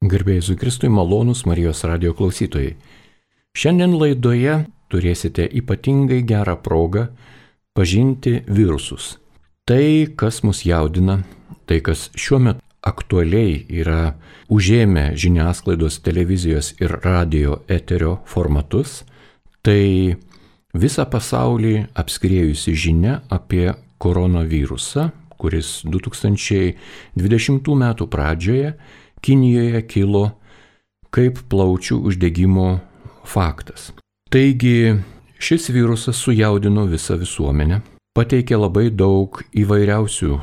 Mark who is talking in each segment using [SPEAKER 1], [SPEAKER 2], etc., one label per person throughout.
[SPEAKER 1] Garbėjai Jėzui Kristui, malonūs Marijos radijo klausytojai. Šiandien laidoje turėsite ypatingai gerą progą pažinti virusus. Tai, kas mus jaudina, tai, kas šiuo metu aktualiai yra užėmę žiniasklaidos, televizijos ir radio eterio formatus, tai visą pasaulį apskriejusi žinia apie koronavirusą, kuris 2020 metų pradžioje Kinijoje kilo kaip plaučių uždegimo faktas. Taigi šis virusas sujaudino visą visuomenę, pateikė labai daug įvairiausių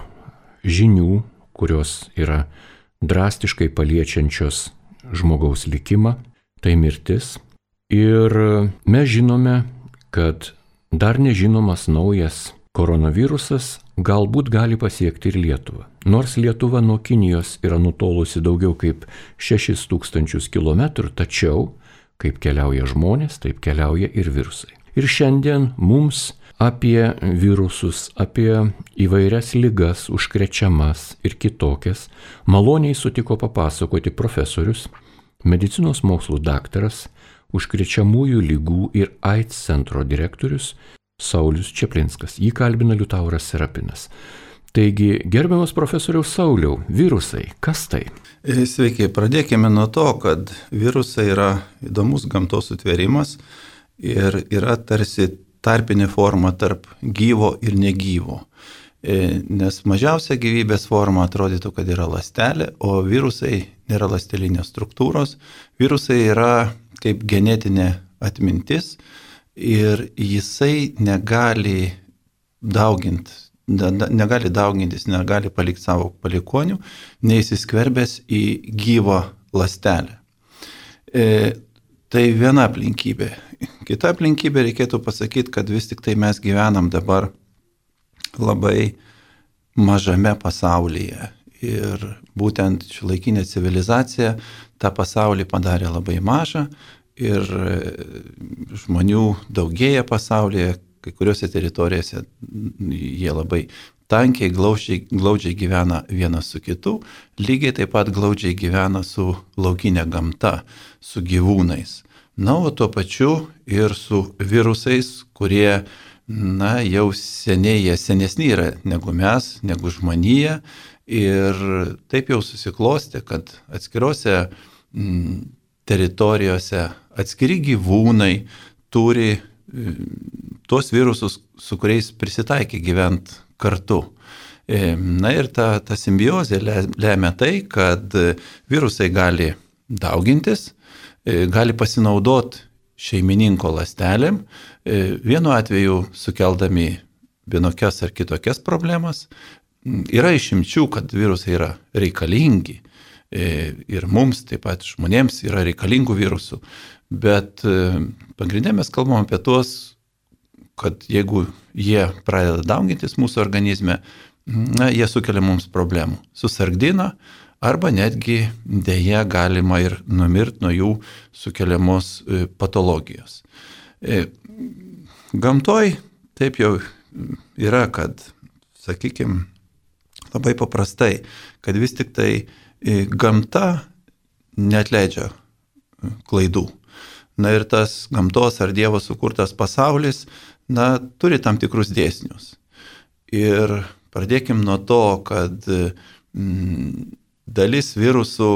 [SPEAKER 1] žinių, kurios yra drastiškai paliečiančios žmogaus likimą, tai mirtis. Ir mes žinome, kad dar nežinomas naujas koronavirusas galbūt gali pasiekti ir Lietuvą. Nors Lietuva nuo Kinijos yra nutolusi daugiau kaip 6000 km, tačiau kaip keliauja žmonės, taip keliauja ir virusai. Ir šiandien mums apie virusus, apie įvairias ligas, užkrečiamas ir kitokias, maloniai sutiko papasakoti profesorius, medicinos mokslų daktaras, užkrečiamųjų lygų ir AIDS centro direktorius Saulius Čeplinskas. Jį kalbina Liutauras Serapinas. Taigi, gerbiamas profesoriaus Sauliau, virusai, kas tai?
[SPEAKER 2] Sveiki, pradėkime nuo to, kad virusai yra įdomus gamtos sutvėrimas ir yra tarsi tarpinė forma tarp gyvo ir negyvo. Nes mažiausia gyvybės forma atrodytų, kad yra ląstelė, o virusai nėra ląstelinės struktūros. Virusai yra kaip genetinė atmintis ir jisai negali daugintis, negali palikti savo palikonių, neįsiskverbęs į gyvą ląstelę. Tai viena aplinkybė. Kita aplinkybė reikėtų pasakyti, kad vis tik tai mes gyvenam dabar labai mažame pasaulyje. Ir būtent šiuolaikinė civilizacija tą pasaulį padarė labai mažą ir žmonių daugėja pasaulyje, kai kuriuose teritorijose jie labai tankiai, glaudžiai gyvena vienas su kitu, lygiai taip pat glaudžiai gyvena su laukinė gamta, su gyvūnais. Na, o tuo pačiu ir su virusais, kurie, jau senesni yra negu mes, negu žmonija. Ir taip jau susiklostė, kad atskirose teritorijose atskiri gyvūnai turi tuos virusus, su kuriais prisitaikė gyventi kartu. Na ir ta simbiozė lemia tai, kad virusai gali daugintis, gali pasinaudoti šeimininko ląstelėm, vienu atveju sukeldami vienokias ar kitokias problemas. Yra išimčių, kad virusai yra reikalingi ir mums, taip pat žmonėms yra reikalingų virusų, bet pagrindė mes kalbam apie tuos, kad jeigu jie pradeda daugintis mūsų organizme, jie sukelia mums problemų, susargdina arba netgi deja galima ir numirti nuo jų sukeliamos patologijos. Gamtoj taip jau yra, kad, sakykime, labai paprastai, kad vis tik tai gamta neatleidžia klaidų. Na ir tas gamtos ar Dievo sukurtas pasaulis, turi tam tikrus dėsnius. Ir pradėkim nuo to, kad dalis virusų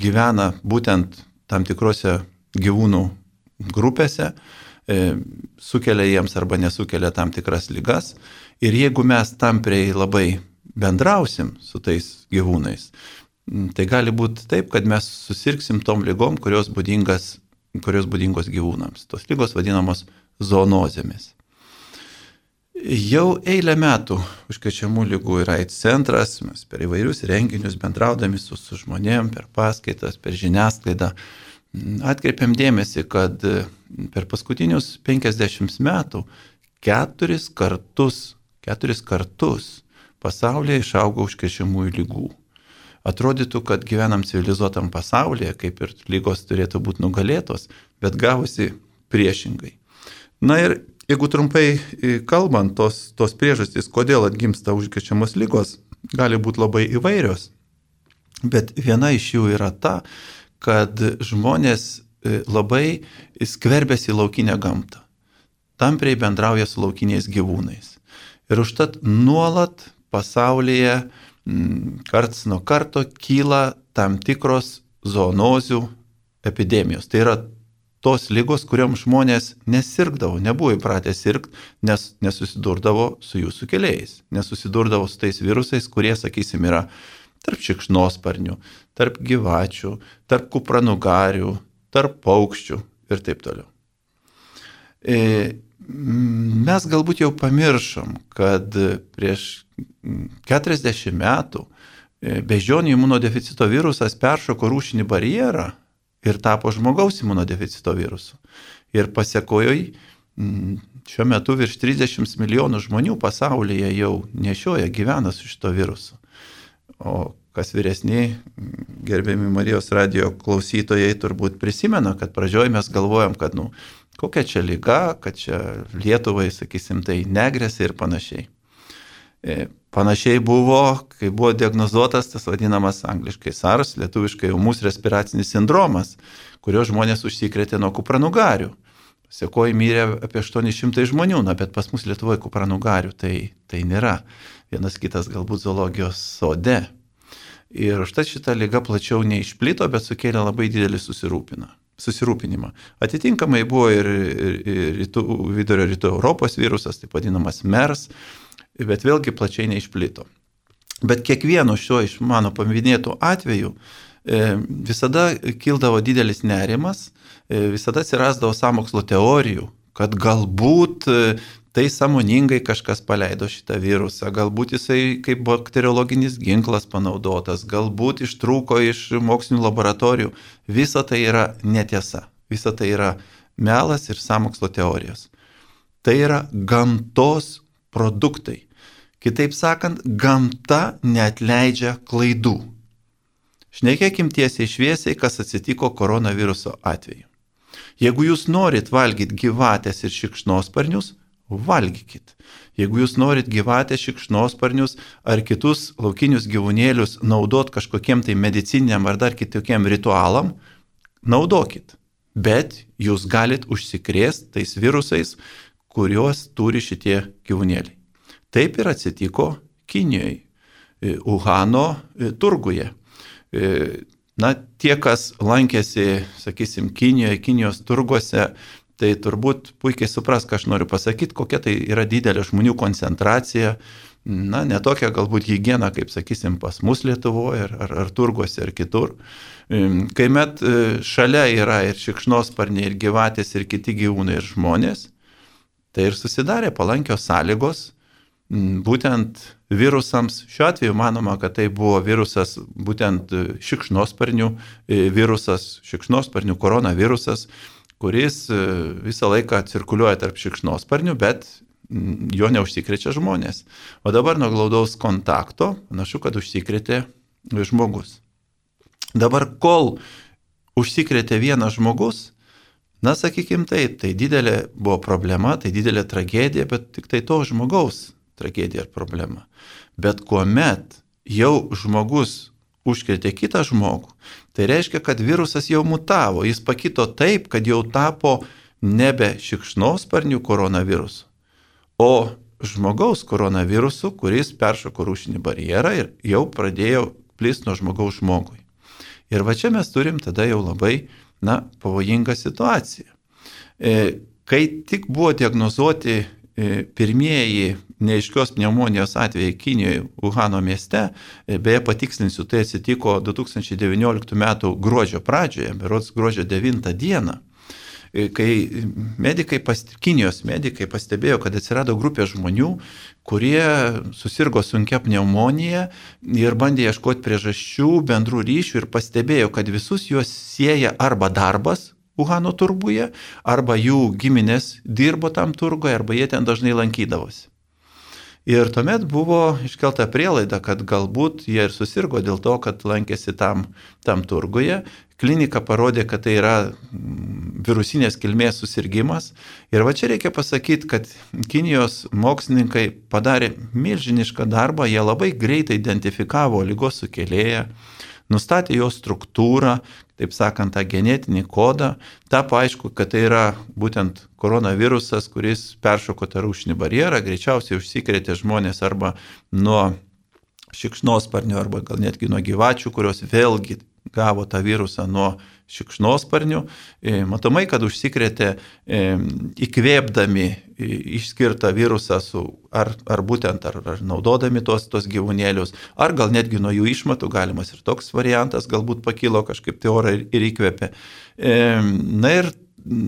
[SPEAKER 2] gyvena būtent tam tikrose gyvūnų grupėse, sukelia jiems arba nesukelia tam tikras ligas. Ir jeigu mes tampriai labai bendrausim su tais gyvūnais, tai gali būti taip, kad mes susirgsim tom ligom, kurios būdingos gyvūnams. Tos ligos vadinamos zoonozėmis. Jau eilę metų užkrečiamų ligų ir AIDS centras, mes per įvairius renginius bendraudami su žmonėm, per paskaitas, per žiniasklaidą, atkreipiam dėmesį, kad per paskutinius 50 metų 4 kartus pasaulyje išaugo užkrečiamųjų lygų. Atrodytų, kad gyvenam civilizuotam pasaulyje, kaip ir lygos turėtų būti nugalėtos, bet gavosi priešingai. Na ir jeigu trumpai kalbant, tos priežastys, kodėl atgimsta užkrečiamos lygos, gali būti labai įvairios. Bet viena iš jų yra ta, kad žmonės labai skverbiasi į laukinę gamtą. Tampriai bendrauja su laukiniais gyvūnais. Ir užtat nuolat pasaulyje karts nuo karto kyla tam tikros zoonozių epidemijos. Tai yra tos ligos, kuriuom žmonės nesirgdavo, nebuvo įpratę sirgti, nes nesusidurdavo su jų sukėlėjais. Nesusidurdavo su tais virusais, kurie, sakysim, yra tarp šikšnosparnių, tarp gyvačių, tarp kupranugarių, tarp paukščių ir taip toliau. Mes galbūt jau pamiršom, kad prieš 40 metų beždžionių imunodeficito virusas peršoko rūšinį barjerą ir tapo žmogaus imunodeficito virusu. Ir pasekojoj šiuo metu virš 30 milijonų žmonių pasaulyje jau nešioja, gyvena su šito virusu. O kas vyresni, gerbiami Marijos radijo klausytojai, turbūt prisimena, kad pradžioje mes galvojam, kad kokia čia liga, kad čia Lietuvai, sakysim, tai negresia ir panašiai. Panašiai buvo, kai buvo diagnozuotas tas vadinamas angliškai SARS, lietuviškai ūmus respiracinis sindromas, kurio žmonės užsikrėtė nuo kupranugarių. Pasiekoje mirė apie 800 žmonių, bet pas mus Lietuvoje kupranugarių tai nėra. Vienas kitas galbūt zoologijos sode. Ir užtat šita liga plačiau neišplito, bet sukėlė labai didelį susirūpinimą. Atitinkamai buvo ir vidurio rytų Europos virusas, taip vadinamas MERS, bet vėlgi plačiai neišplito. Bet kiekvieno šio iš mano paminėtų atvejų visada kildavo didelis nerimas, visada atsirasdavo sąmokslo teorijų, kad galbūt tai sąmoningai kažkas paleido šitą virusą, galbūt jisai kaip bakteriologinis ginklas panaudotas, galbūt ištrūko iš mokslinių laboratorijų. Visa tai yra netiesa, visa tai yra melas ir sąmokslo teorijos. Tai yra gamtos produktai. Kitaip sakant, gamta neatleidžia klaidų. Šnekėkim tiesiai šviesiai, kas atsitiko koronaviruso atveju. Jeigu jūs norit valgyti gyvatės ir šikšnosparnius, valgykit. Jeigu jūs norit gyvatės, šikšnosparnius ar kitus laukinius gyvūnėlius naudot kažkokiem tai medicininiam ar dar kitokiem ritualam, naudokit. Bet jūs galit užsikrėsti tais virusais, kuriuos turi šitie gyvūnėliai. Taip ir atsitiko Kinijoje, Uhano turguje. Tie, kas lankėsi, sakysim, Kinijoje, Kinijos turguose, tai turbūt puikiai supras, ką aš noriu pasakyti, kokia tai yra didelė žmonių koncentracija, ne tokia galbūt higiena, kaip, sakysim, pas mus Lietuvoje ar turguose ar kitur. Kai met šalia yra ir šikšnosparniai, ir gyvatės, ir kiti gyvūnai, ir žmonės, tai ir susidarė palankios sąlygos būtent virusams. Šiuo atveju manoma, kad tai buvo virusas, būtent šikšnosparnių virusas, šikšnosparnių koronavirusas, kuris visą laiką cirkuliuoja tarp šikšnosparnių, bet jo neužsikrečia žmonės. O dabar nuo glaudaus kontakto, panašu, kad užsikrėtė žmogus. Dabar, kol užsikrėtė vienas žmogus, sakykim taip, tai didelė buvo problema, tai didelė tragedija, bet tik tai to žmogaus tragedija ir problema. Bet kuomet jau žmogus užkrėtė kitą žmogų, tai reiškia, kad virusas jau mutavo, jis pakito taip, kad jau tapo nebe šikšnosparnių koronavirusu, o žmogaus koronavirusu, kuris peršoko rūšinį barjerą ir jau pradėjo plisti nuo žmogaus žmogui. Ir va čia mes turim tada jau labai, pavojingą situaciją. Kai tik buvo diagnozuoti pirmieji neaiškios pneumonijos atvejai Kinijoje, Uhano mieste, beje patikslinsiu, tai atsitiko 2019 m. gruodžio pradžioje, berods gruodžio 9 dieną, kai Kinijos medikai pastebėjo, kad atsirado grupė žmonių, kurie susirgo sunkia pneumonija ir bandė ieškoti priežasčių, bendrų ryšių ir pastebėjo, kad visus juos sieja arba darbas Uhano turguje, arba jų giminės dirbo tam turguje, arba jie ten dažnai lankydavosi. Ir tuomet buvo iškelta prielaida, kad galbūt jie ir susirgo dėl to, kad lankėsi tam turguje. Klinika parodė, kad tai yra virusinės kilmės susirgymas. Ir va čia reikia pasakyti, kad Kinijos mokslininkai padarė milžinišką darbą, jie labai greitai identifikavo ligos sukėlėją, nustatė jo struktūrą, taip sakant, tą genetinį kodą, tapo aišku, kad tai yra būtent koronavirusas, kuris peršoko tą rūšinį barjerą, greičiausiai užsikrėtė žmonės arba nuo šikšnosparnių, arba gal netgi nuo gyvačių, kurios vėlgi gavo tą virusą nuo šikšnosparnių. Matomai, kad užsikrėtė įkvėpdami išskirtą virusą ar būtent naudodami tos gyvūnėlius, ar gal netgi nuo jų išmatų, galimas ir toks variantas, galbūt pakilo kažkaip tai orą ir įkvėpė. Na ir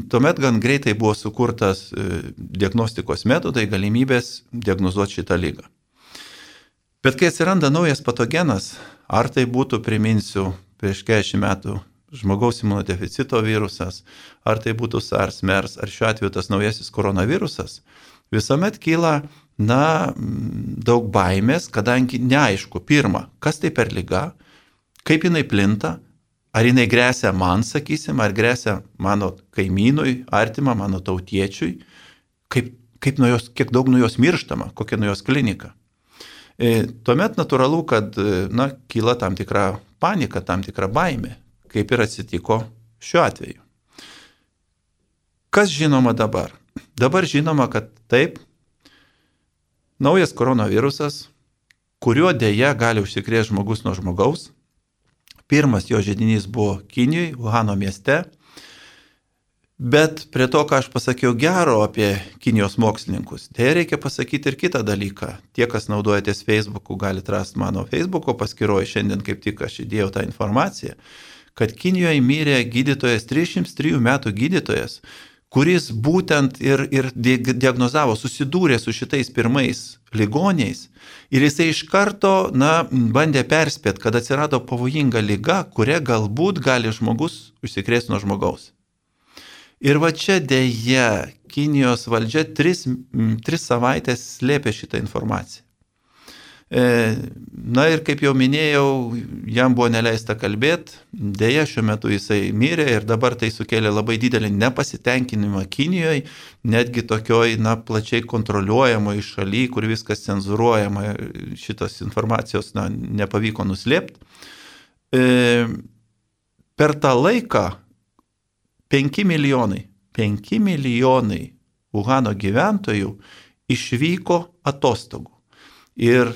[SPEAKER 2] tuomet gan greitai buvo sukurtas diagnostikos metodai, galimybės diagnozuoti šitą ligą. Bet kai atsiranda naujas patogenas, ar tai būtų, priminsiu, prieš 40 metų žmogaus imunodeficito virusas, ar tai būtų SARS, MERS, ar šiuo atveju tas naujasis koronavirusas, visuomet kyla, daug baimės, kadangi neaišku, pirma, kas tai per liga, kaip jinai plinta, ar jinai grėsia man, sakysim, ar grėsia mano kaimynui, artimą, mano tautiečiui, kiek daug nuo jos mirštama, kokia nuo jos klinika. Tuomet natūralu, kad kyla tam tikra panika, tam tikra baimė, kaip ir atsitiko šiuo atveju. Kas žinoma dabar? Dabar žinoma, kad taip, naujas koronavirusas, kuriuo dėja gali užsikrėsti žmogus nuo žmogaus. Pirmas jo židinys buvo Kinijoje, Uhano mieste. Bet prie to, ką aš pasakiau gero apie Kinijos mokslininkus, tai reikia pasakyti ir kitą dalyką. Tie, kas naudojatės Facebook'u, galite rasti mano Facebook'o paskyroje, šiandien kaip tik aš įdėjau tą informaciją, kad Kinijoje mirė gydytojas, 303 metų gydytojas, kuris būtent ir diagnozavo, susidūrė su šitais pirmais ligoniais ir jisai iš karto, bandė perspėti, kad atsirado pavojinga liga, kuria galbūt gali žmogus užsikrėsti nuo žmogaus. Ir va čia dėja Kinijos valdžia 3 savaitės slėpė šitą informaciją. Ir kaip jau minėjau, jam buvo neleista kalbėti, dėja šiuo metu jisai mirė ir dabar tai sukėlė labai didelį nepasitenkinimą Kinijoje, netgi tokioj plačiai kontroliuojamoje šalyje, kur viskas cenzuruojama, šitos informacijos nepavyko nuslėpti. Per tą laiką 5 milijonai Uhano gyventojų išvyko atostogų. Ir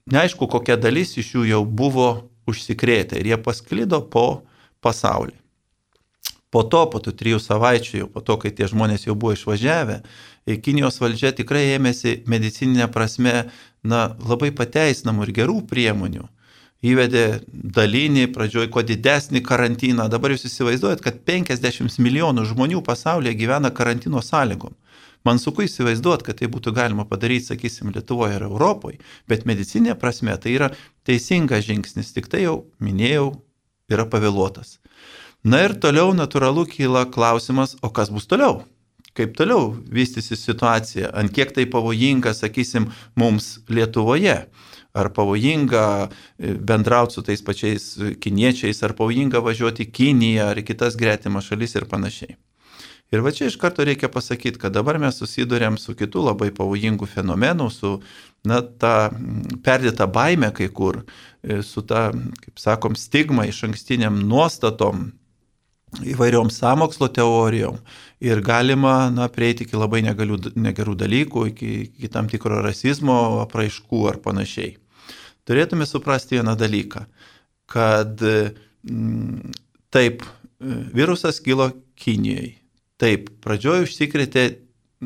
[SPEAKER 2] neaišku, kokia dalis iš jų jau buvo užsikrėtę ir jie pasklido po pasaulį. Po tų 3 savaičių, po to, kai tie žmonės jau buvo išvažiavę, Kinijos valdžia tikrai ėmėsi medicininė prasme labai pateisinamų ir gerų priemonių. Įvedė dalinį, pradžioj kuo didesnį karantiną. Dabar jūs įsivaizduojat, kad 50 milijonų žmonių pasaulyje gyvena karantino sąlygom. Man sunku įsivaizduoti, kad tai būtų galima padaryti, sakysim, Lietuvoje ir Europoje, bet medicinė prasme tai yra teisingas žingsnis, tik tai jau minėjau, yra pavėluotas. Ir toliau natūralu kyla klausimas, o kas bus toliau? Kaip toliau vystysis situacija? Ant kiek tai pavojinga, sakysim, mums Lietuvoje? Ar pavojinga bendrauti su tais pačiais kiniečiais, ar pavojinga važiuoti į Kiniją, ar į kitas gretimas šalis ir panašiai. Ir va čia iš karto reikia pasakyti, kad dabar mes susidurėm su kitu labai pavojingu fenomenu, su ta perdėta baime kai kur, su ta, kaip sakom, stigma iš ankstiniam nuostatom, įvairiom sąmokslo teorijom ir galima prieiti iki labai negerų dalykų, iki tam tikro rasizmo apraiškų ar panašiai. Turėtume suprasti vieną dalyką, kad taip, virusas kilo Kinijoje. Taip, pradžioje užsikrėtė,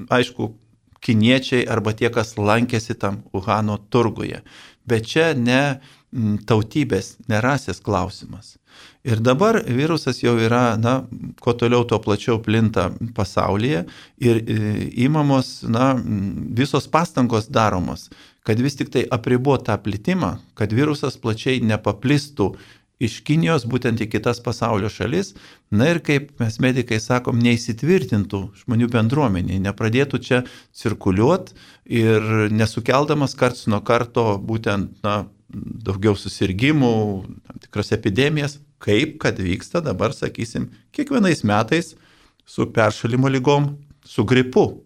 [SPEAKER 2] aišku, kiniečiai arba tie, kas lankėsi tam Uhano turguje. Bet čia ne tautybės, ne rasės klausimas. Ir dabar virusas jau yra, kuo toliau, tuo plačiau plinta pasaulyje ir įmamos, visos pastangos daromos, kad vis tik tai apribot tą plitimą, kad virusas plačiai nepaplistų iš Kinijos būtent į kitas pasaulio šalis, ir kaip mes medikai sakom, neįsitvirtintų žmonių bendruomenė, nepradėtų čia cirkuliuoti ir nesukeldamas karts nuo karto būtent daugiau susirgymų, tam tikras epidemijas, kaip kad vyksta dabar, sakysim, kiekvienais metais su peršalimo ligom, su gripu.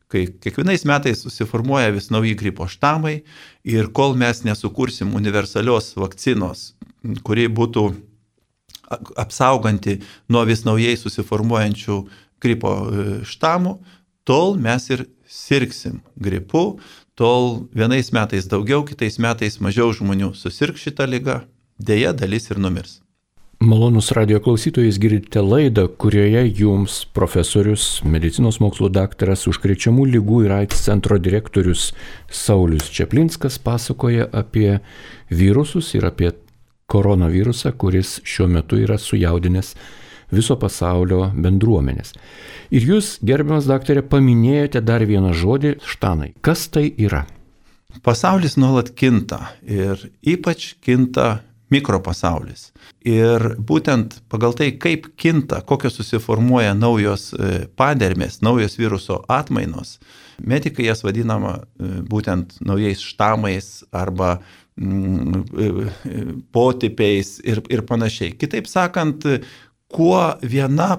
[SPEAKER 2] Kai kiekvienais metais susiformuoja vis nauji gripo štamai ir kol mes nesukursim universalios vakcinos kuri būtų apsauganti nuo vis naujai susiformuojančių gripo štamų, tol mes ir sirgsim gripu, tol vienais metais daugiau, kitais metais mažiau žmonių susirgs šitą ligą, deja dalis ir numirs.
[SPEAKER 1] Malonus radio klausytojais, girdite laidą, kurioje jums profesorius, medicinos mokslų daktaras, užkrečiamų ligų ir AIDS centro direktorius Saulius Čeplinskas pasakoja apie virusus ir apie koronavirusą, kuris šiuo metu yra sujaudinęs viso pasaulio bendruomenės. Ir jūs, gerbiamas daktarė, paminėjote dar vieną žodį - štanai. Kas tai yra?
[SPEAKER 2] Pasaulis nuolat kinta ir ypač kinta mikropasaulis. Ir būtent pagal tai, kaip kinta, kokios susiformuoja naujos padermės, naujos viruso atmainos, medikai jas vadinama būtent naujais štamais arba potipiais ir panašiai. Kitaip sakant, kuo viena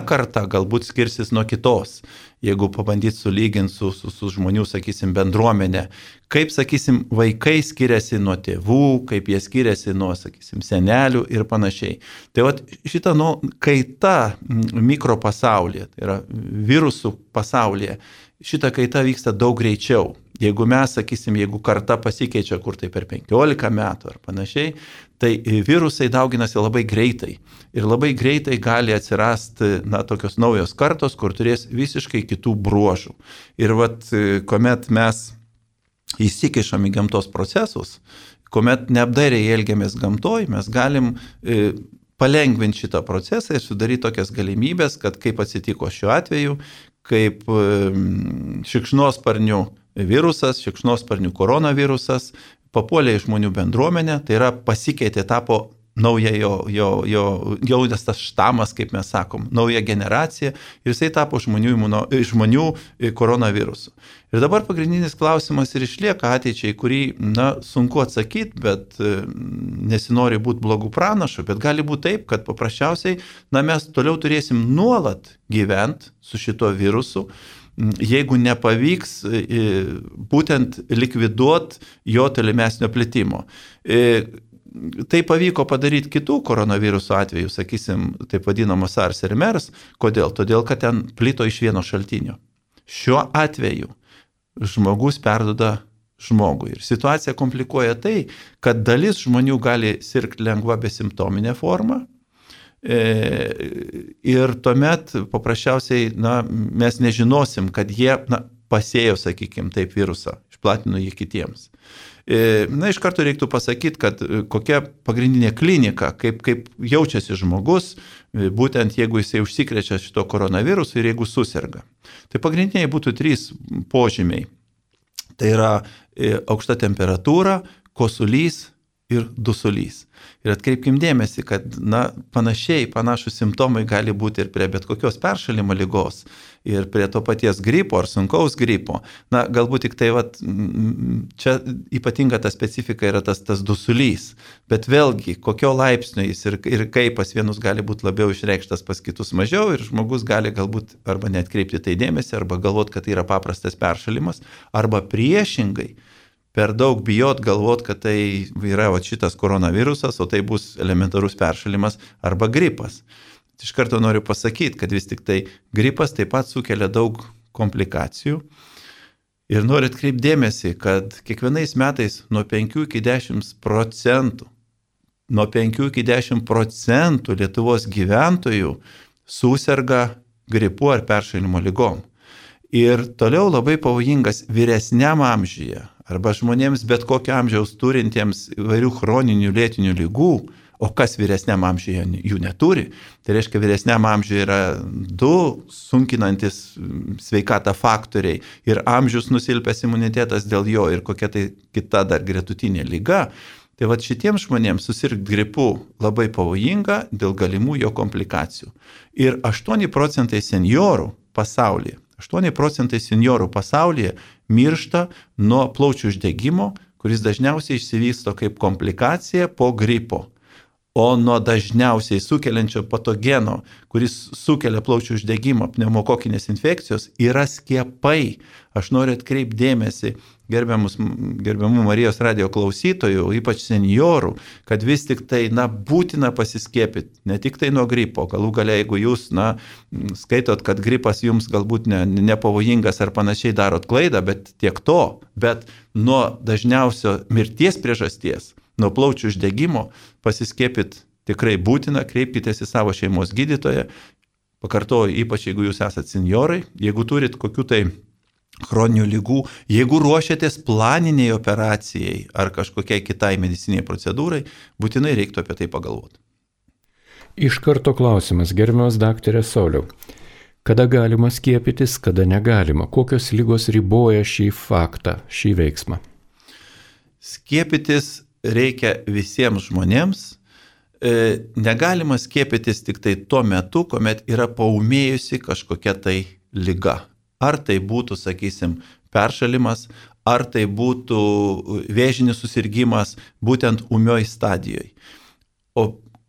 [SPEAKER 2] karta galbūt skirsis nuo kitos, jeigu pabandyt sulyginti su žmonių, sakysim, bendruomenė, kaip, sakysim, vaikai skiriasi nuo tėvų, kaip jie skiriasi nuo, sakysim, senelių ir panašiai. Tai vat šita kaita mikropasaulyje, tai yra virusų pasaulyje, šita kaita vyksta daug greičiau. Jeigu mes, sakysim, jeigu karta pasikeičia kur tai per 15 metų ar panašiai, tai virusai dauginasi labai greitai. Ir labai greitai gali atsirasti, tokios naujos kartos, kur turės visiškai kitų bruožų. Ir kuomet mes įsikišam į gamtos procesus, kuomet neapdairiai elgiamės gamtoj, mes galim palengvinti šitą procesą ir sudaryti tokias galimybės, kad kaip atsitiko šiuo atveju, kaip šikšnosparnių virusas, šikšnosparnių koronavirusas papuolė į žmonių bendruomenę, tai yra pasikeitė, tapo nauja jau tas štamas, kaip mes sakom, nauja generacija ir jisai tapo žmonių koronavirusu. Ir dabar pagrindinis klausimas ir išlieka ateičiai, kurį, sunku atsakyti, bet nesinori būti blogų pranašų, bet gali būti taip, kad paprasčiausiai, mes toliau turėsim nuolat gyventi su šito virusu, jeigu nepavyks būtent likviduoti jo tolimesnio plitimo. Tai pavyko padaryti kitų koronavirusų atveju, sakysim, taip vadinamo SARS ir MERS. Kodėl? Todėl, kad ten plito iš vieno šaltinio. Šiuo atveju žmogus perduoda žmogui. Ir situacija komplikuoja tai, kad dalis žmonių gali sirgti lengva besimptominė forma. Ir tuomet paprasčiausiai mes nežinosim, kad jie pasėjo, sakykime, taip virusą, išplatino jį kitiems. Iš karto reiktų pasakyti, kad kokia pagrindinė klinika, kaip jaučiasi žmogus, būtent jeigu jisai užsikrečia šito koronavirusu ir jeigu susirga. Tai pagrindiniai būtų 3 požymiai. Tai yra aukšta temperatūra, kosulys ir dusulys. Ir atkreipkim dėmesį, kad panašus simptomai gali būti ir prie bet kokios peršalimo ligos, ir prie to paties gripo ar sunkaus gripo. Galbūt tik tai čia ypatinga ta specifika yra tas dusulys, bet vėlgi kokio laipsnio jis ir kaip pas vienus gali būti labiau išreikštas, pas kitus mažiau, ir žmogus gali galbūt arba neatkreipti tai dėmesį, arba galvoti, kad tai yra paprastas peršalimas, arba priešingai per daug bijot, galvot, kad tai yra šitas koronavirusas, o tai bus elementarus peršalimas arba gripas. Iš karto noriu pasakyti, kad vis tik tai gripas taip pat sukelia daug komplikacijų. Ir noriu atkreipti dėmesį, kad kiekvienais metais nuo 5 iki 10% Lietuvos gyventojų suserga gripu ar peršalimo ligom. Ir toliau labai pavojingas vyresniam amžiuje arba žmonėms bet kokio amžiaus turintiems įvairių chroninių lėtinių ligų, o kas vyresniam amžiuje jų neturi, tai reiškia vyresniam amžiuje yra 2 sunkinantis sveikatą faktoriai ir amžius nusilpęs imunitetas dėl jo ir kokia tai kita dar gretutinė liga. Tai šitiems žmonėms susirgti gripu labai pavojinga dėl galimų jo komplikacijų. Ir 8% seniorų pasaulyje, 8% seniorų pasaulyje miršta nuo plaučių uždegimo, kuris dažniausiai išsivysto kaip komplikacija po gripo. o nuo dažniausiai sukeliančio patogeno, kuris sukelia plaučių uždegimą, pneumokokinės infekcijos, yra skiepai. Aš noriu atkreipti dėmesį gerbiamų Marijos radijo klausytojų, ypač seniorų, kad vis tik tai, būtina pasiskiepyti, ne tik tai nuo gripo. Galų gale, jeigu jūs, skaitot, kad gripas jums galbūt nepavojingas ar panašiai, darot klaidą, bet tiek to. Bet nuo dažniausio mirties priežasties, nuo plaučių uždegimo pasiskiepyti tikrai būtina, kreipkitės į savo šeimos gydytoją. Pakartoju, ypač jeigu jūs esate senjorai, jeigu turit kokių tai chroninių lygų, jeigu ruošiatės planiniai operacijai ar kažkokiai kitai mediciniai procedūrai, būtinai reiktų apie tai pagalvoti.
[SPEAKER 1] Iš karto klausimas, gerbiamas daktarė Sauliau. Kada galima skiepytis, kada negalima? Kokios lygos riboja šį faktą, šį veiksmą?
[SPEAKER 2] Skiepytis reikia visiems žmonėms. Negalima skiepytis tik tai tuo metu, kuomet yra paūmėjusi kažkokia tai liga. Ar tai būtų, sakysim, peršalimas, ar tai būtų vėžinis susirgymas būtent ūmioj stadijoje. O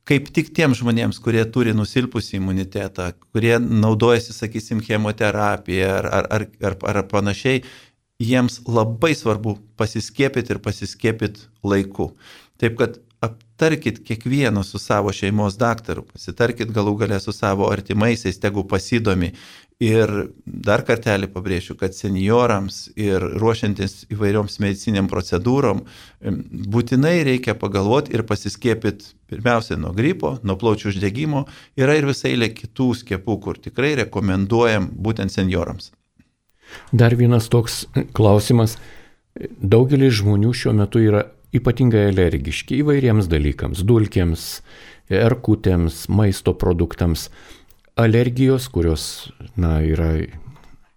[SPEAKER 2] kaip tik tiems žmonėms, kurie turi nusilpusį imunitetą, kurie naudojasi, sakysim, chemoterapiją ar panašiai, jiems labai svarbu pasiskiepyti ir pasiskiepyti laiku. Taip kad aptarkit kiekvieną su savo šeimos daktaru, pasitarkit galų gale su savo artimaisiais, tegu pasidomi. Ir dar kartelį pabrėšiu, kad seniorams ir ruošiantis įvairioms mediciniam procedūrom būtinai reikia pagalvoti ir pasiskiepyti pirmiausia nuo gripo, nuo plaučių uždegimo. Yra ir visai eilė kitų skiepų, kur tikrai rekomenduojam būtent seniorams.
[SPEAKER 1] Dar vienas toks klausimas. Daugelis žmonių šiuo metu yra ypatingai alergiški įvairiems dalykams, dulkėms, erkutėms, maisto produktams. Alergijos, kurios yra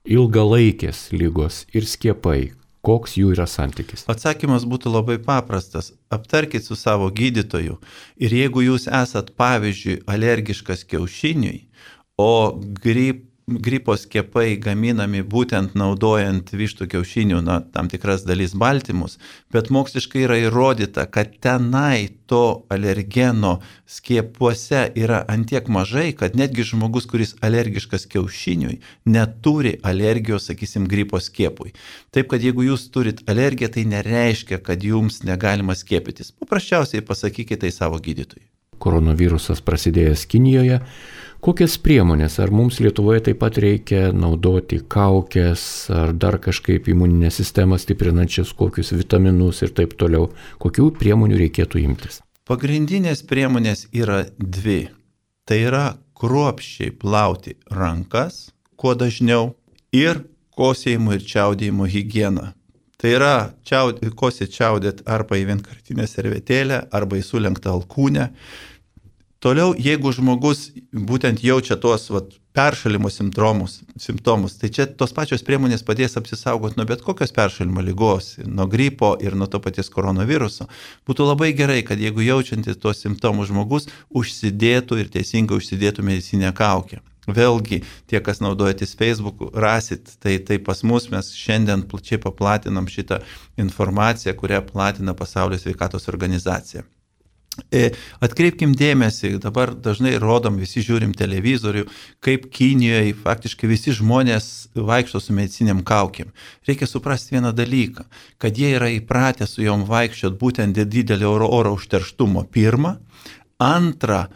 [SPEAKER 1] ilgalaikės lygos ir skiepai, koks jų yra santykis?
[SPEAKER 2] Atsakymas būtų labai paprastas. Aptarkit su savo gydytoju ir jeigu jūs esat, pavyzdžiui, alergiškas kiaušiniui, o gripo skiepai gaminami būtent naudojant vištų kiaušinių, tam tikras dalis baltymus, bet moksliškai yra įrodyta, kad tenai to alergeno skiepuose yra antiek mažai, kad netgi žmogus, kuris alergiškas kiaušiniui, neturi alergijos, sakysim, gripo skiepui. Taip, kad jeigu jūs turit alergiją, tai nereiškia, kad jums negalima skiepytis. Paprasčiausiai pasakykite tai savo gydytojui.
[SPEAKER 1] Koronavirusas prasidėjęs Kinijoje. Kokias priemonės? Ar mums Lietuvoje taip pat reikia naudoti kaukės, ar dar kažkaip imuninę sistemą stiprinančias, kokius vitaminus ir taip toliau? Kokių priemonių reikėtų imtis?
[SPEAKER 2] Pagrindinės priemonės yra dvi. Tai yra kruopščiai plauti rankas, kuo dažniau, ir kosėjimo ir čiaudėjimo higiena. Tai yra kosėti čiaudėti arba į vienkartinę servetėlę, arba į sulenktą alkūnę. Toliau, jeigu žmogus būtent jaučia tuos peršalimo simptomus, tai čia tos pačios priemonės padės apsisaugoti nuo bet kokios peršalimo ligos, nuo gripo ir nuo to paties koronaviruso. Būtų labai gerai, kad jeigu jaučiantis tuos simptomus žmogus užsidėtų ir teisingai užsidėtų medicininę kaukę. Vėlgi, tie, kas naudojatės Facebook'u, rasit, tai pas mus mes šiandien plačiai paplatinam šitą informaciją, kurią platina Pasaulio sveikatos organizacija. Atkreipkim dėmesį, dabar dažnai rodom, visi žiūrim televizorių, kaip Kinijoje faktiškai visi žmonės vaikšto su mediciniam kaukėm. Reikia suprasti vieną dalyką, kad jie yra įpratę su jom vaikščiot būtent dėl didelio oro užterštumo. Pirma. Antra,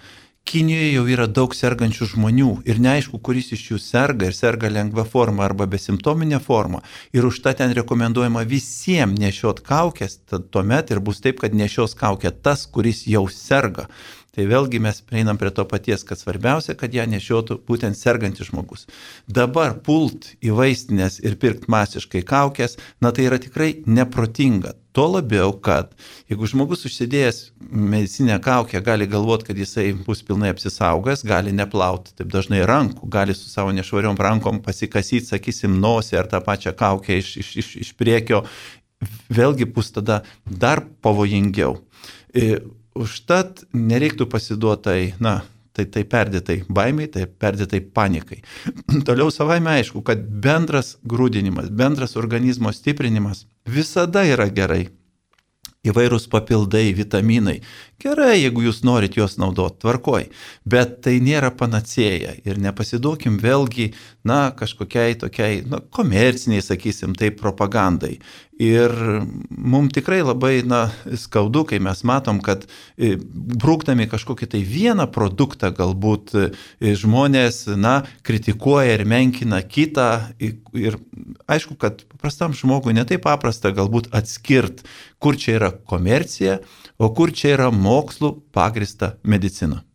[SPEAKER 2] Kinijoje jau yra daug sergančių žmonių ir neaišku, kuris iš jų serga ir serga lengva forma arba besimptominė forma. Ir už tą ten rekomenduojama visiems nešiot kaukės, tuomet ir bus taip, kad nešios kaukę tas, kuris jau serga. Tai vėlgi mes prieinam prie to paties, kad svarbiausia, kad ją nešiotų būtent sergantis žmogus. Dabar pult į vaistinės ir pirkt masiškai kaukės, tai yra tikrai neprotinga. Tuo labiau, kad jeigu žmogus užsidėjęs medicinę kaukę gali galvoti, kad jisai bus pilnai apsisaugęs, gali neplauti taip dažnai rankų, gali su savo nešvariom rankom pasikasyti, sakysim, nosį ar tą pačią kaukę iš priekio, vėlgi bus tada dar pavojingiau. Užtat nereiktų pasiduotai, tai perdėtai baimiai, tai perdėtai panikai. Toliau savaime aišku, kad bendras grūdinimas, bendras organizmo stiprinimas visada yra gerai. Įvairūs papildai, vitaminai, Gerai, jeigu jūs norit juos naudoti, tvarkoj, bet tai nėra panacėja ir nepasiduokim vėlgi, kažkokiai tokiai, komerciniai, sakysim, tai propagandai. Ir mums tikrai labai, skaudu, kai mes matom, kad brūkdami kažkokį tai vieną produktą galbūt žmonės, kritikuoja ir menkina kitą. Ir aišku, kad paprastam žmogui netai paprasta galbūt atskirt, kur čia yra komercija, o kur čia yra mokslų pagrįsta medicina.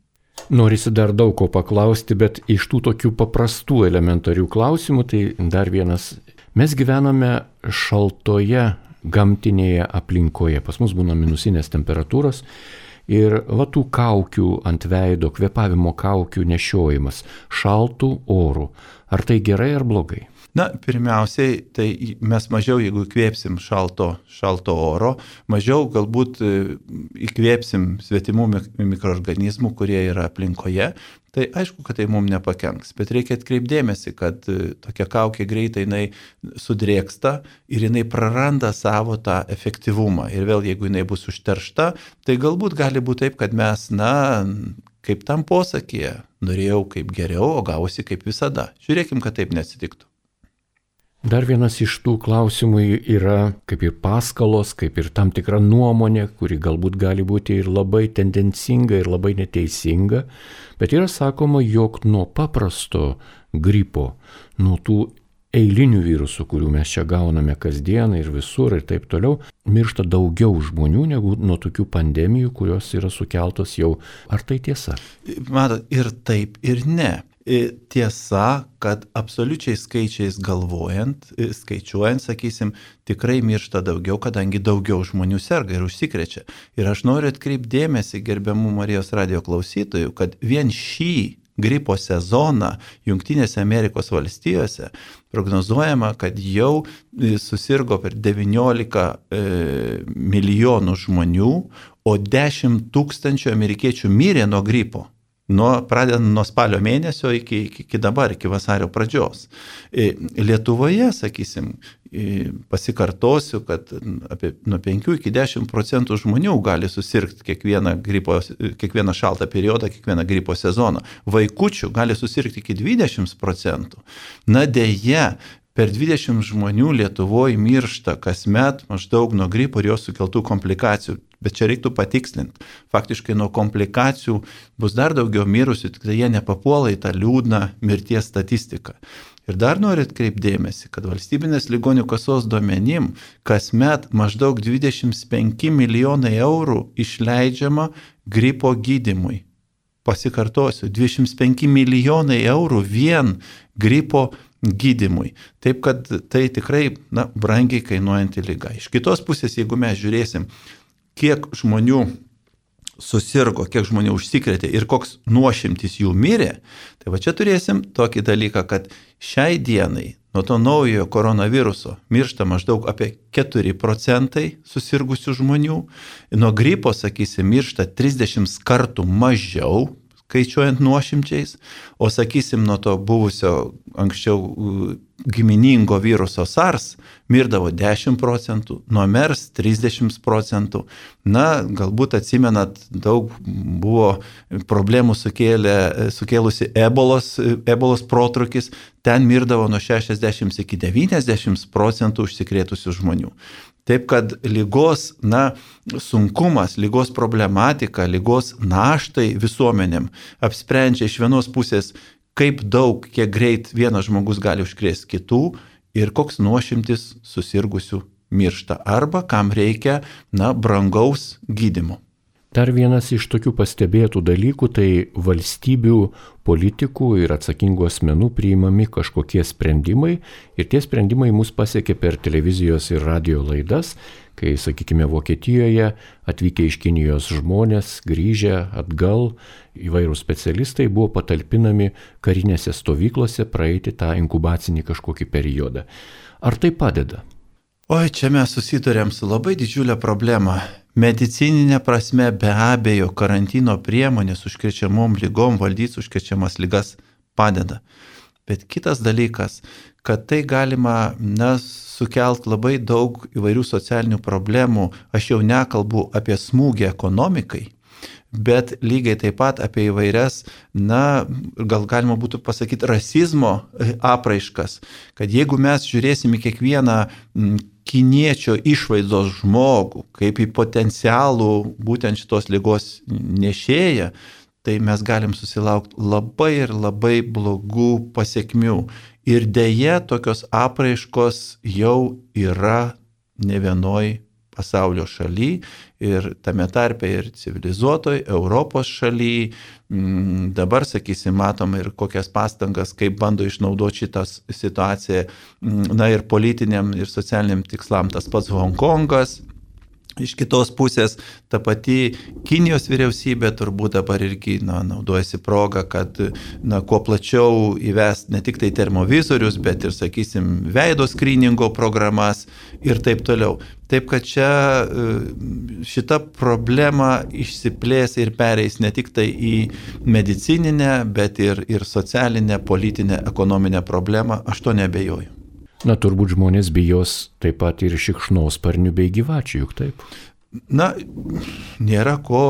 [SPEAKER 1] Norisi dar daug ko paklausti, bet iš tų tokių paprastų elementarių klausimų, tai dar vienas. Mes gyvename šaltoje gamtinėje aplinkoje. Pas mus būna minusinės temperatūros ir tų kaukių ant veido, kvėpavimo kaukių nešiojimas šaltų orų. Ar tai gerai ar blogai?
[SPEAKER 2] Pirmiausiai, tai mes mažiau, jeigu įkvėpsim šalto oro, mažiau galbūt įkvėpsim svetimų mikroorganizmų, kurie yra aplinkoje, tai aišku, kad tai mums nepakenks. Bet reikia atkreipdėmėsi, kad tokia kaukė greitai jinai sudrėksta ir jinai praranda savo tą efektyvumą. Ir vėl, jeigu jinai bus užteršta, tai galbūt gali būti taip, kad mes, kaip tam posakyje, norėjau kaip geriau, o gausi kaip visada. Žiūrėkim, kad taip neatsitiktų.
[SPEAKER 1] Dar vienas iš tų klausimų yra kaip ir paskalos, kaip ir tam tikra nuomonė, kuri galbūt gali būti ir labai tendencinga, ir labai neteisinga, bet yra sakoma, jog nuo paprasto gripo, nuo tų eilinių virusų, kurių mes čia gauname kasdieną ir visur ir taip toliau, miršta daugiau žmonių negu nuo tokių pandemijų, kurios yra sukeltos jau. Ar tai tiesa?
[SPEAKER 2] Matot, ir taip, ir ne. Tiesa, kad absoliučiai skaičiais skaičiuojant, sakysim, tikrai miršta daugiau, kadangi daugiau žmonių serga ir užsikrečia. Ir aš noriu atkreipdėmėsi, gerbiamų Marijos radijo klausytojų, kad vien šį gripo sezoną Jungtinėse Amerikos valstijose prognozuojama, kad jau susirgo per 19 milijonų žmonių, o 10 000 amerikiečių mirė nuo gripo. Pradedant nuo spalio mėnesio iki dabar, iki vasario pradžios. Lietuvoje, sakysim, pasikartosiu, kad apie nuo 5 iki 10% žmonių gali susirgti kiekvieną šaltą periodą, kiekvieną gripo sezoną. Vaikučių gali susirgti iki 20%. Deja, per 20 žmonių Lietuvoje miršta kasmet maždaug nuo gripo ir jos sukeltų komplikacijų. Bet čia reiktų patikslinti. Faktiškai nuo komplikacijų bus dar daugiau mirusių, tik tai jie nepapuola į tą liūdną mirties statistiką. Ir dar noriu atkreipdėmėsi, kad valstybinės ligonių kasos duomenim kasmet maždaug 25 milijonai eurų išleidžiama gripo gydymui. Pasikartosiu, 25 milijonai eurų vien gripo gydymui. Taip, kad tai tikrai brangiai kainuojanti liga. Iš kitos pusės, jeigu mes žiūrėsim, kiek žmonių susirgo, kiek žmonių užsikrėtė ir koks nuošimtis jų mirė, tai čia turėsim tokį dalyką, kad šiai dienai nuo to naujojo koronaviruso miršta maždaug apie 4% susirgusių žmonių, nuo gripo, sakysim, miršta 30 kartų mažiau, skaičiuojant nuošimčiais, o sakysim, nuo to buvusio anksčiau giminingo viruso SARS mirdavo 10%, nuo MERS 30%. Galbūt atsimenat, daug buvo problemų sukėlusi ebolos protrūkis, ten mirdavo nuo 60 iki 90% užsikrėtusių žmonių. Taip, kad lygos, sunkumas, lygos problematika, lygos naštai visuomenėm apsprendžia iš vienos pusės, kaip daug, kiek greit vienas žmogus gali užkrėsti kitų ir koks nuošimtis susirgusių miršta arba kam reikia, brangaus gydymo.
[SPEAKER 1] Dar vienas iš tokių pastebėtų dalykų, tai valstybių politikų ir atsakingų asmenų priimami kažkokie sprendimai ir tie sprendimai mus pasiekė per televizijos ir radio laidas, kai, sakykime, Vokietijoje atvykę iš Kinijos žmonės, grįžę atgal, įvairūs specialistai buvo patalpinami karinėse stovyklose praeiti tą inkubacinį kažkokį periodą. Ar tai padeda?
[SPEAKER 2] Oi, čia mes susidurėm su labai didžiulė problema. Medicininė prasme be abejo karantino priemonės užkrečiamom lygom valdyti užkrečiamas ligas padeda. Bet kitas dalykas, kad tai galima sukelt labai daug įvairių socialinių problemų. Aš jau nekalbu apie smūgį ekonomikai, bet lygiai taip pat apie įvairias, gal galima būtų pasakyti, rasizmo apraiškas, kad jeigu mes žiūrėsime kiekvieną kiniečio išvaizdos žmogų kaip į potencialų būtent šitos ligos nešėją, tai mes galim susilaukti labai ir labai blogų pasiekmių. Ir deja, tokios apraiškos jau yra ne vienoj pasaulio šaly ir tame tarpe ir civilizuotoj Europos šaly. Dabar, sakysim, matom ir kokias pastangas, kaip bando išnaudoti šitą situaciją, ir politiniam, ir socialiniam tikslam. Tas pats Hongkongas. Iš kitos pusės, ta pati Kinijos vyriausybė turbūt dabar irgi naudojasi progą, kad kuo plačiau įvest ne tik tai termovizorius, bet ir, sakysim, veido skryningo programas ir taip toliau. Taip, kad čia šita problema išsiplės ir pereis ne tik tai į medicininę, bet ir socialinę, politinę, ekonominę problemą, aš to neabejoju.
[SPEAKER 1] Turbūt žmonės bijos taip pat ir šikšnosparnių bei gyvačių, juk taip?
[SPEAKER 2] Nėra ko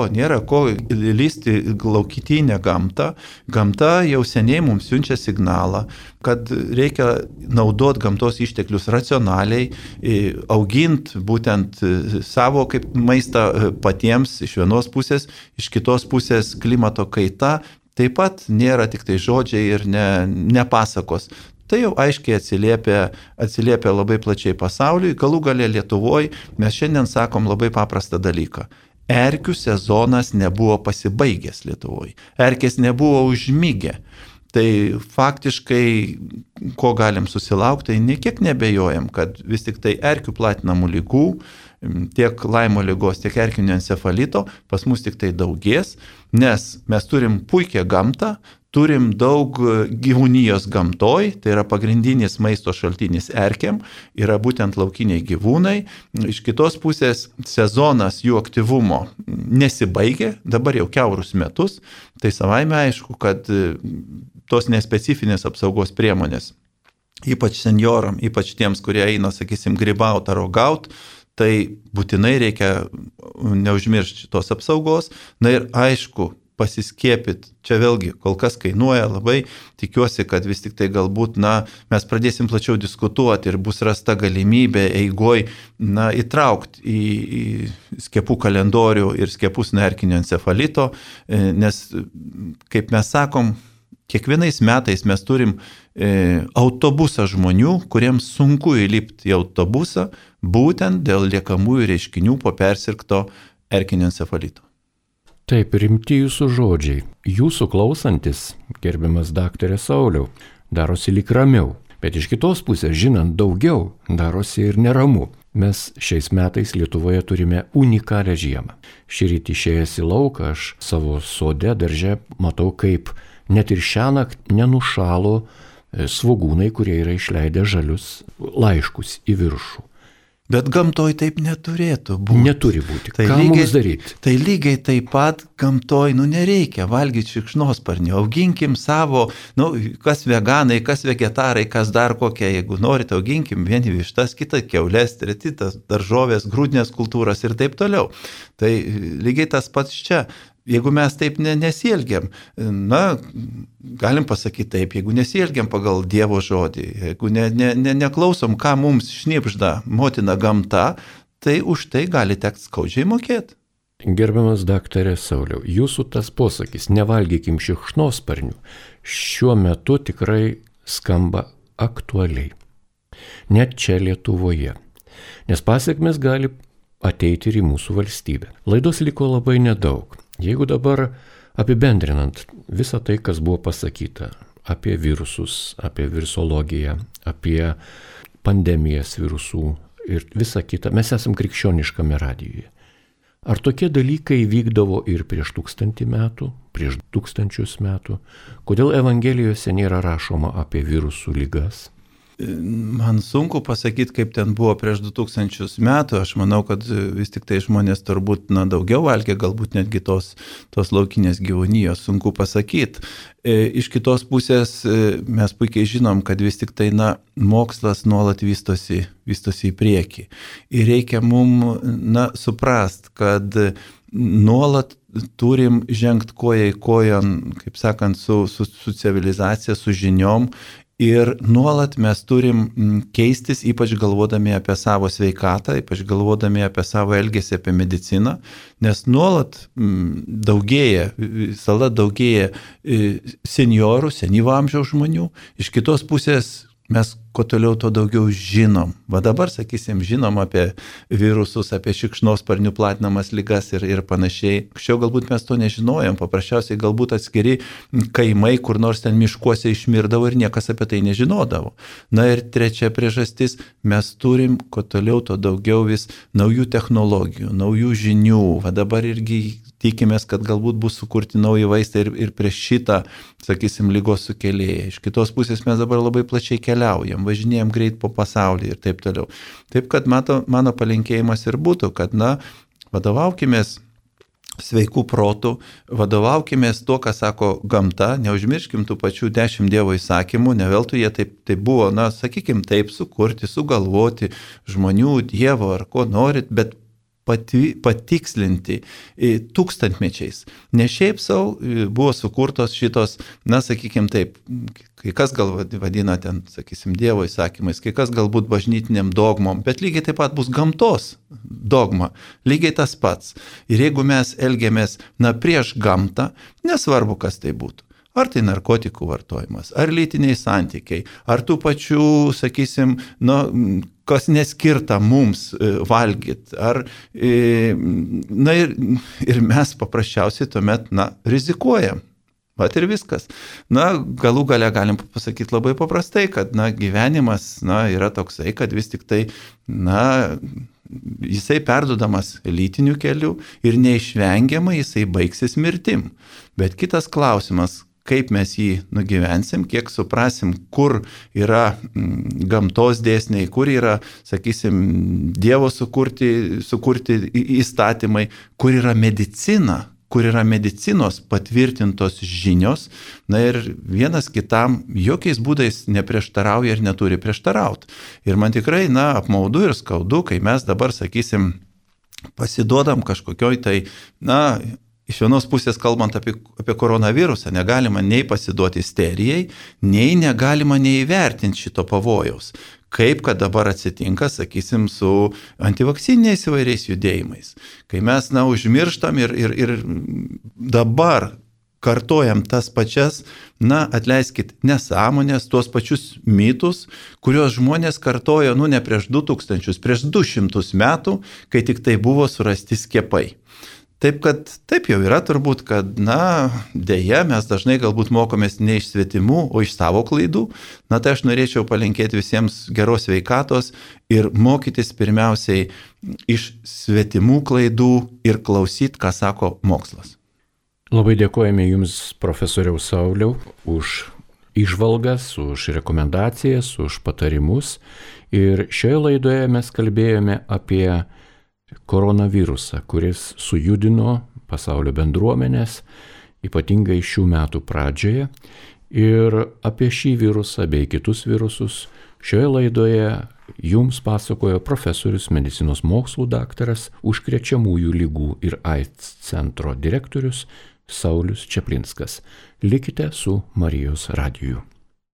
[SPEAKER 2] lysti laukitinę gamtą. Gamta jau seniai mums siunčia signalą, kad reikia naudoti gamtos išteklius racionaliai, auginti būtent savo kaip maistą patiems iš vienos pusės, iš kitos pusės klimato kaita. Taip pat nėra tik tai žodžiai ir ne pasakos. Tai jau aiškiai atsiliepia labai plačiai pasauliui. Galų gale Lietuvoje mes šiandien sakom labai paprastą dalyką. Erkių sezonas nebuvo pasibaigęs Lietuvoje. Erkės nebuvo užmygę. Tai faktiškai, ko galim susilaukti, tai niekiek nebejojam, kad vis tik tai erkių platinamų lygų, tiek Laimo ligos, tiek erkinio encefalito pas mus tik tai daugės, nes mes turim puikią gamtą, turim daug gyvūnijos gamtoj, tai yra pagrindinis maisto šaltinis erkėm, yra būtent laukiniai gyvūnai. Iš kitos pusės sezonas jų aktyvumo nesibaigė, dabar jau kiaurus metus, tai savaime aišku, kad tos nespecifinės apsaugos priemonės, ypač senjoram, ypač tiems, kurie eina, sakysim, grybauti ar rogauti, tai būtinai reikia neužmiršti tos apsaugos. Ir aišku, pasiskiepyti. Čia vėlgi kol kas kainuoja labai, tikiuosi, kad vis tik tai galbūt, mes pradėsim plačiau diskutuoti ir bus rasta galimybė eigoj, įtraukti į skiepų kalendorių ir skiepus nuo erkinio encefalito, nes, kaip mes sakom, kiekvienais metais mes turim autobusą žmonių, kuriems sunku įlipti į autobusą, būtent dėl liekamųjų reiškinių po persirgto erkinio encefalito.
[SPEAKER 1] Taip, rimti jūsų žodžiai. Jūsų klausantis, gerbiamas daktarė Sauliau, darosi lyg ramiau, bet iš kitos pusės, žinant daugiau, darosi ir neramu. Mes šiais metais Lietuvoje turime unikalią žiemą. Šįryt išėjęs į lauką, aš savo sode, darže matau, kaip net ir šiąnakt nenušalo svogūnai, kurie yra išleidę žalius laiškus į viršų.
[SPEAKER 2] Bet gamtoj taip neturėtų būti.
[SPEAKER 1] Neturi būti. Ką mums daryti?
[SPEAKER 2] Tai lygiai taip pat gamtoj, nereikia valgyti šikšnosparnių. Auginkim savo, kas veganai, kas vegetarai, kas dar kokie, jeigu norite, auginkim vieni vištas, kitą kiaulės, treti daržovės, grūdinės kultūras ir taip toliau. Tai lygiai tas pats čia. Jeigu mes taip nesielgiam, galim pasakyti taip, jeigu nesielgiam pagal Dievo žodį, jeigu neklausom, ką mums šnibžda motina gamta, tai už tai gali tekti skaudžiai mokėti.
[SPEAKER 1] Gerbiamas daktarė Sauliau, jūsų tas posakis, nevalgykim šikšnosparnių, šiuo metu tikrai skamba aktualiai. Net čia Lietuvoje. Nes pasekmės gali ateiti ir į mūsų valstybę. Laidos liko labai nedaug. Jeigu dabar apibendrinant visą tai, kas buvo pasakyta apie virusus, apie virusologiją, apie pandemijas virusų ir visą kitą, mes esam krikščioniškame radijuje. Ar tokie dalykai vykdavo ir prieš 1000 metų, prieš 1000 metų? Kodėl Evangelijose nėra rašoma apie virusų ligas?
[SPEAKER 2] Man sunku pasakyti, kaip ten buvo prieš 2000 metų. Aš manau, kad vis tik tai žmonės turbūt daugiau valgė, galbūt netgi tos laukinės gyvūnijos, sunku pasakyti. Iš kitos pusės mes puikiai žinom, kad vis tik tai mokslas nuolat vystosi į priekį. Ir reikia mums suprast, kad nuolat turim žengti koja į kojon, kaip sakant, su civilizacija, su žiniom. Ir nuolat mes turim keistis, ypač galvodami apie savo sveikatą, ypač galvodami apie savo elgesį, apie mediciną, nes nuolat daugėja, visada daugėja seniorų, senyvo amžiaus žmonių. Iš kitos pusės mes kuo toliau, to daugiau žinom. Va dabar, sakysim, žinom apie virusus, apie šikšnosparnių platinamas ligas ir panašiai. Anksčiau galbūt mes to nežinojom, paprasčiausiai galbūt atskiri kaimai, kur nors ten miškuose išmirdavo ir niekas apie tai nežinodavo. Na ir trečia priežastis, mes turim kuo toliau, to daugiau vis naujų technologijų, naujų žinių. Va dabar irgi tikimės, kad galbūt bus sukurti nauji vaistai ir prieš šitą, sakysim, ligos sukėlėją. Iš kitos pusės mes dabar labai plačiai keliaujam, važinėjam greit po pasaulį ir taip toliau. Taip, kad mano palinkėjimas ir būtų, kad, vadovaukimės sveikų protų, vadovaukimės to, ką sako gamta, neužmirškim tų pačių 10 Dievo įsakymų, ne veltui jie taip buvo, sakykim, taip sukurti, sugalvoti žmonių, Dievo ar ko norit, bet patikslinti tūkstantmečiais. Ne šiaip savo buvo sukurtos šitos, sakykim taip, kai kas gal vadina ten, sakysim, Dievo įsakymais, kai kas galbūt bažnytiniam dogmom, bet lygiai taip pat bus gamtos dogma, lygiai tas pats. Ir jeigu mes elgiamės, prieš gamtą, nesvarbu, kas tai būtų. Ar tai narkotikų vartojimas, ar lytiniai santykiai, ar tų pačių, sakysim, kas neskirta mums valgyti, ir mes paprasčiausiai tuomet, rizikuojam. Vat ir viskas. Galų gale galim pasakyti labai paprastai, kad, gyvenimas, yra toksai, kad vis tik tai, jisai perduodamas lytiniu keliu ir neišvengiamai jisai baigsis mirtim. Bet kitas klausimas, kaip mes jį nugyvensim, kiek suprasim, kur yra gamtos dėsniai, kur yra, sakysim, Dievo sukurti įstatymai, kur yra medicina, kur yra medicinos patvirtintos žinios, ir vienas kitam jokiais būdais neprieštarauja ir neturi prieštarauti. Ir man tikrai, apmaudu ir skaudu, kai mes dabar, sakysim, pasiduodam kažkokioj tai, iš vienos pusės kalbant apie koronavirusą, negalima nei pasiduoti isterijai, nei negalima neįvertinti šito pavojaus. Kaip kad dabar atsitinka, sakysim, su antivakcininiais įvairiais judėjimais. Kai mes, užmirštam ir dabar kartojam tas pačias, atleiskit, nesąmonės, tuos pačius mitus, kuriuos žmonės kartojo, ne prieš 2000, prieš 200 metų, kai tik tai buvo surasti skiepai. Taip, kad taip jau yra turbūt, kad, dėja, mes dažnai galbūt mokomės ne iš svetimų, o iš savo klaidų. Tai aš norėčiau palinkėti visiems geros sveikatos ir mokytis pirmiausiai iš svetimų klaidų ir klausyti, ką sako mokslas.
[SPEAKER 1] Labai dėkojame Jums, profesoriau Sauliau, už įžvalgas, už rekomendacijas, už patarimus. Ir šioje laidoje mes kalbėjome apie koronavirusą, kuris sujudino pasaulio bendruomenės, ypatingai šių metų pradžioje. Ir apie šį virusą bei kitus virusus šioje laidoje jums pasakojo profesorius, medicinos mokslų daktaras, užkrečiamųjų ligų ir AIDS centro direktorius Saulius Čaplinskas. Likite su Marijos radiju.